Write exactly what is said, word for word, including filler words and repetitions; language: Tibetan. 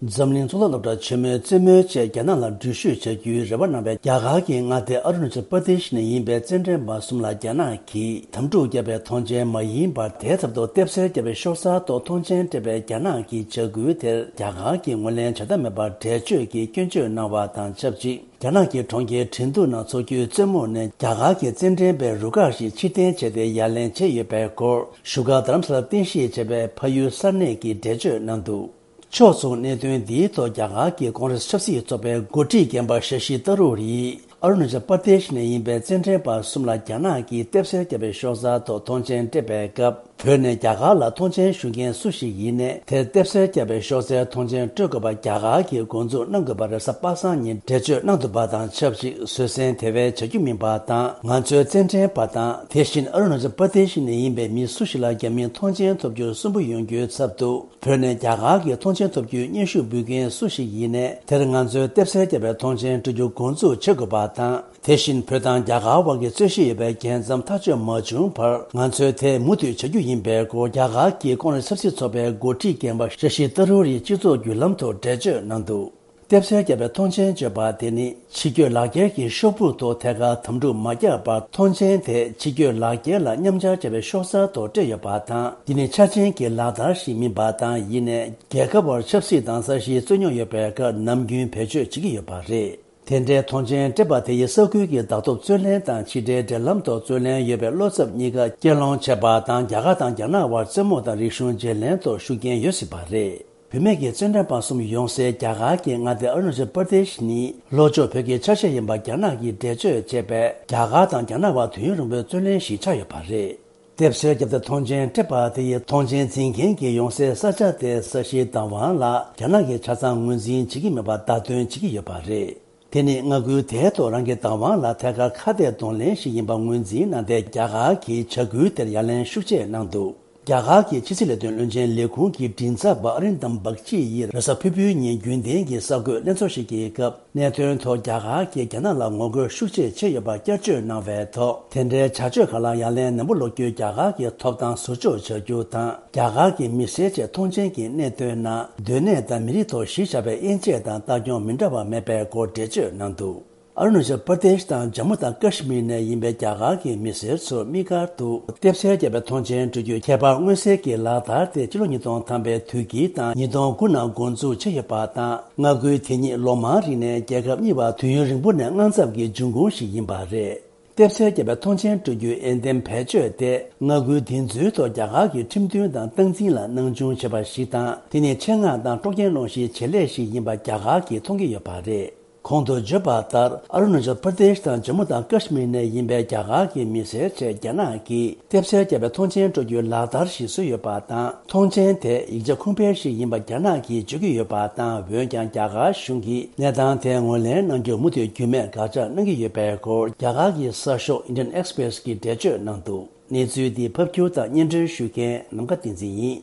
འཛམ་གླིང་གཙུག་ལག་སློབ་གྲྭ་ཆེན་མོའི་རྩེད་མོའི་ཆེད་རྒྱ་ནག་ལ་འགྲུལ་བཞུད་བྱ་རྒྱུའི་རེ་བ་གནང་བའི་རྒྱ་གར་གྱི་མངའ་སྡེ་ཨ་རུ་ན་ཅལ་པར་དེ་ཤི་ནས་ཡིན་པའི་རྩེད་འགྲན་པ་གསུམ་ལ་རྒྱ་ནག་གིས་དམ་ཕྲུག་བརྒྱབ་པའི་ཐོངས་མཆན་མ་ཡིན་པར། དེའི་ཚབ་ཏུ་ལྟེབ་གསལ་བརྒྱབ་པའི་ཤོག་གསར་ཐོག་ཐོངས་མཆན་སྤྲད་པའི་རྒྱ་ནག་གི་བྱ་འགུལ་དེར་རྒྱ་གར་གྱིས་ངོས་ལེན་བྱ་ཐབས་མེད་པར་འགྲེལ་བརྗོད་ཀྱིས་སྐྱོན་བརྗོད་གནང་བ་དང་ཆབས་ཅིག་རྒྱ་ནག་གི་གྲོང་ཁྱེར་ཁྲིན་ཏུ་ནང་འཚོགས་རྒྱུའི་རྩེད་མོ་ནས་རྒྱ་གར་གྱི་རྩེད་འགྲན་པའི་རུ་ཁག་ཞིག་ཕྱིར་འཐེན་བྱས་ཏེ་ཡ་ལན་བྱས་ཡོད་པའི་སྐོར། བཞུགས་སྒར་རྡ་རམ་ས་ལར་རྟེན་གཞི་བྱས་པའི་ཕ་ཡུལ་གསར་གནས་ཀྱིས་འགྲེལ་བརྗོད་གནང་འདུག་ཕྱོགས་མཚུངས་གནད་དོན་འདིའི་ཐོག་རྒྱ་གར་གྱི་ཀོང་རེས་ཆབ་སྲིད་ཚོགས་པའི་འགོ་ཁྲིད་རྒན་པ་ཤ་ཤི་ཏ་རུར་ཡིས་ཨ་རུ་ན་ཅལ་པར་དེ་ཤི་ནས་ཡིན་པའི་རྩེད་འགྲན་པ་གསུམ་ལ་རྒྱ་ནག་གིས་ལྟེབ་གསལ་བརྒྱབ་པའི་ཤོག་གསར་ཐོག་ཐོངས་མཆན་སྤྲད་པའི་སྐབས། བོད་ནས་རྒྱ་གར་ལ་ཐོངས་མཆན་ཞུ་མཁན་སུ་ཞིག་ཡིན་ནའི་དེར་ལྟེབ་གསལ་བརྒྱབ་པའི་ཤོག་གསར་ཐོངས་མཆན་སྤྲོད་དགོས་པ་རྒྱ་གར་གྱིས་འགོ་འཛུགས་གནང་དགོས་པར་རེས་གཟའ་པ་སངས་ཉིན་འགྲེལ་བརྗོད་གནང་འདུག་པ་དང་ཆབས་ཅིག་བཟོད་བསྲན་དེ་བས་བྱ་རྒྱུ་མིན་པ་དང་། ང་ཚོའི་རྩེད་འགྲན་པ་དང་། དེ་བཞིན་ཨ་རུ་ན་ཅལ་པར་དེ་ཤི་ནས་ཡིན་པའི་མི་སུ་ཞིག་ལ་རྒྱ་མིས་ཐོངས་མཆན་ཐོབ་རྒྱུར་སུན་པོ་ཡོང་རྒྱུའི་ཚབ་ཏུ། བོད་ནས་རྒྱ་གར་གྱི་ཐོངས་མཆན་ཐོབ་རྒྱུའི་སྙན་ཞུ་འབུལ་མཁན་སུ་ཞིག་ཡིན་ནའི་དེར་ང་ཚོས་ལྟེབ་གསལ་བརྒྱབ་པའི་ཐོངས་མཆན་སྤྲོད་རྒྱུ་འགོ་འཛུགས་བྱེད་དགོས་པ་དང་། དེ་བཞིན་བོད་དང་རྒྱ་གར་དབར་གྱི་རྩོད་གཞི་ཡོད་པའི་རྒྱལ་མཚམས་ཐག་གཅོད་མ་བྱུང་བར་ང་ཚོས་དེ་མུ་མཐུད་བྱ་རྒྱུ་ཡིན་པའི་སྐོར། རྒྱ་གར་གྱི་ཀོང་རེས་ཆབ་སྲིད་ཚོགས་པའི་འགོ་ཁྲིད་རྒན་པ་ཤ་ཤི་ཏ་རུར་ཡིས་སྤྱི་ཚོགས་བརྒྱུད་ལམ་ཐོག་འགྲེལ་བརྗོད་གནང་འདུག་ལྟེབ་གསལ་བརྒྱབ་པའི་ཐོངས་མཆན་བརྗོད་པ་དེ་ནི་ཕྱི་སྐྱོད་ལག་འཁྱེར་གྱི་ཤོག་བུ་ཐོག་ཐད་ཀར་དམ་ཕྲུག་མ་བརྒྱབ་པར། ཐོངས་མཆན་དེ་ཕྱི་སྐྱོད་ལག་འཁྱེར་ལ་མཉམ་སྦྱར་བྱས་པའི་ཤོག་གསར་ཐོག་སྤྲད་ཡོད་པ་དང་། འདི་ནི་འཆར་ཅན་གྱི་ལག་བསྟར་ཞིག་མིན་པ་དང་། ཡིན་ནའི་རྒྱལ་ཁབ་བར་ཆབ་སྲིད་དང་ས་གཞིའི་རྩོད་རྙོག་ཡོད་པའི་སྐབས་ནམ་རྒྱུན་བེད་སྤྱོད་བྱེད་ཀྱི་ཡོད་པ་རེད། དེ་འདྲའི་ཐོངས་མཆན་སྤྲད་པ་དེ་ཡིས་ས་ཁུལ་གྱི་བདག་ཐོབ་རྩོད་ལེན་དང་ཕྱི་འབྲེལ་འབྲེལ་ལམ་ཐོག་རྩོད་ལེན་ཡོད་པའི་བློ་འཚབ་གཉིས་ཀ་གྱེན་སློང་བྱས་པ་དང་། རྒྱ་གར་དང་རྒྱ་ནག་དབར་རྩེད་མོ་དང་རིག་གཞུང་བརྗེ་ལེན་ཐོག་ཤུགས་རྐྱེན་ཡོད་སྲིད་པ་རེད། བུད་མེད་ཀྱི་རྩེད་འགྲན་པ་གསུམ་ཡོང་སའི་རྒྱ་གར་གྱི་མངའ་སྡེ་ཨ་རུ་ན་ཅལ་པར་དེ་ཤི་ནི་ལྷོ་ཕྱོགས་བོད་ཀྱི་ཆ་ཤས་ཡིན་པ་རྒྱ་ནག་གིས་འགྲེལ་བརྗོད་བྱས་པས། རྒྱ་གར་དང་རྒྱ་ནག་དབར་དུས་ཡུན་རིང་པོའི་རྩོད་གླེང་ཞིག་ཆགས་ཡོད་པ་རེད། ལྟེབ་གསལ་བརྒྱབ་སྟེ་ཐོངས་མཆན་སྤྲད་པ་དེ་ཡིས་ཐོངས་མཆན་འཛིན་མཁན་གྱི་ཡོང་སའི་ས་ཆ་དེའི་ས་གཞིའི་བདག་དབང་ལ་རྒྱ་ནག་གིས་ཆ་ཚང་ངོས་འཛིན་བྱེད་ཀྱི་མེད་པར་བརྡ་སྟོན་བྱེད་ཀྱི་ཡོད་པ་རེད། དེ་ནི་མངའ་ཁུལ་དེའི་ཐོག་རང་གི་བདག་དབང་ལ་ཐད་ཀར་ཁ་གཏད་གདོང་ལེན་ཞིག་ཡིན་པ་ངོས་འཛིན་གནང་སྟེ། རྒྱ་གར་གྱིས་བྱ་འགུལ་དེར་ཡ་ལན་ཤུགས་ཆེ་གནང་འདུག་རྒྱ་གར་གྱི་ཕྱི་སྲིད་ལས་དོན་བློན་ཆེན་ལས་ཁུངས་ཀྱི་མགྲིན་ཚབ་པ་ཨ་རིན་དམ་བག་ཅི་ཡིས་རེས་གཟའ་ཕུར་བུའི་ཉིན་རྒྱུན་ལྡན་གྱི་གསར་འགོད་ལྷན་ཚོགས་ཤིག་གི་སྐབས། གནད་དོན་ཐོག་རྒྱ་གར་གྱིས་རྒྱ་ནག་ལ་ངོ་རྒོལ་ཤུགས་ཆེ་བྱས་ཡོད་པར་བསྐྱར་བརྗོད་གནང་བའི་ཐོག་དེ་འདྲའི་བྱ་སྤྱོད་ཁག་ལ་ཡ་ལན་ནན་པོ་སློག་རྒྱུའི་རྒྱ་གར་གྱི་ཐོབ་ཐང་ཟུར་འཇོག་བྱ་རྒྱུ་དང་། རྒྱ་གར་གྱི་མི་སེར་ཆེད་ཐོངས་མཆན་གྱི་གནད་དོན་ནང་སྡོད་གནས་དང་མི་རིགས་ཐོག་གཞི་བཞག་པའི་དབྱེ་འབྱེད་དང་ལྟ་སྐྱོང་མི་འདྲ་བ་མེད་པའི་སྐོར་འགྲེལ་བརྗོད་གནང་འདུག་ཨ་རུ་ན་ཅལ་པར་དེ་ཤི་དང་ཇམ་མུ་དང་ཀ་ཤི་མིར་ནས་ཡིན་པའི་རྒྱ་གར་གྱི་མི་སེར་ཚོར་དམིགས་བཀར་དུ་ལྟེབ་གསལ་བརྒྱབ་པའི་ཐོངས་མཆན་སྤྲོད་རྒྱུའི་ཁྱད་པར་མངོན་གསལ་གྱི་ལག་བསྟར་དེ་ཕྱི་ལོ་ཉིས་སྟོང་ཐམ་པའི་དུས་དཀྱིལ་དང་ཉིས་སྟོང་དགུ་ནང་འགོ་འཛུགས་བྱས་ཡོད་པ་དང་། མངའ་ཁུལ་དེ་ཉིད་ལོ་མང་རིང་ནས་རྒྱལ་ཁབ་གཉིས་བར་དུས་ཡུན་རིང་པོ་ནས་དངངས་འཚབ་ཀྱི་འབྱུང་ཁུངས་ཤིག་ཡིན་པ་རེད། ལྟེབ་གསལ་བརྒྱབ་པའི་ཐོངས་མཆན་སྤྲོད་རྒྱུའི་འོས་འདེམས་བེད་སྤྱོད་དེ། མངའ་ཁུལ་འདི་ཚོའི་ཐོག་རྒྱ་གར་གྱི་ཁྲིམས་མཐུན་དང་སྟངས་འཛིན་ལ་སྣང་ཆུང་བྱེད་པ་ཞིག་དང་། དེ་ནི་ཆེད་མངགས་དང་དཀྲོག་རྐྱེན་སློང་གཞིའི་བྱེད་ལས་ཤིག་ཡིན་པ་རྒྱ་གར་གྱིས་མཐོང་གི་ཡོད་པ་རེད། གོང་དུ་བརྗོད་པ་ལྟར། ཨ་རུ་ན་ཅལ་པར་དེ་ཤི་དང་ཇམ་མུ་དང་ཀ་ཤི་མིར་ནས་ཡིན་པའི་རྒྱ་གར་གྱི་མི་སེར་ཆེད་རྒྱ་ནག་གིས་ལྟེབ་གསལ་བརྒྱབ་པའི་ཐོངས་མཆན་སྤྲོད་རྒྱུའི་ལག་བསྟར་ཞིག་བཟོས་ཡོད་པ་དང་། ཐོངས་མཆན་དེ་ཡིག་ཆ་ཁུངས་ཕན་ཞིག་ཡིན་པ་རྒྱ་ནག་གིས་བརྗོད་ཀྱི་ཡོད་པ་དང་། འོན་ཀྱང་རྒྱ་གར་གཞུང་གིས་གནས་སྟངས་དེ་ངོས་ལེན་གནང་རྒྱུར་མུ་མཐུད་རྒྱུས་མེད་དགག་བྱ་གནང་གི་ཡོད་པའི་སྐོར། རྒྱ་གར་གྱི་གསར་ཤོག་Indian Express་གིས་འགྲེལ་བརྗོད་གནང་འདུག་གནས་ཚུལ་འདི་ཕབ་སྒྱུར་དང་སྙན་སྒྲོན་ཞུ་མཁན་ནམ་མཁའ་བསྟན་འཛིན་ཡིན།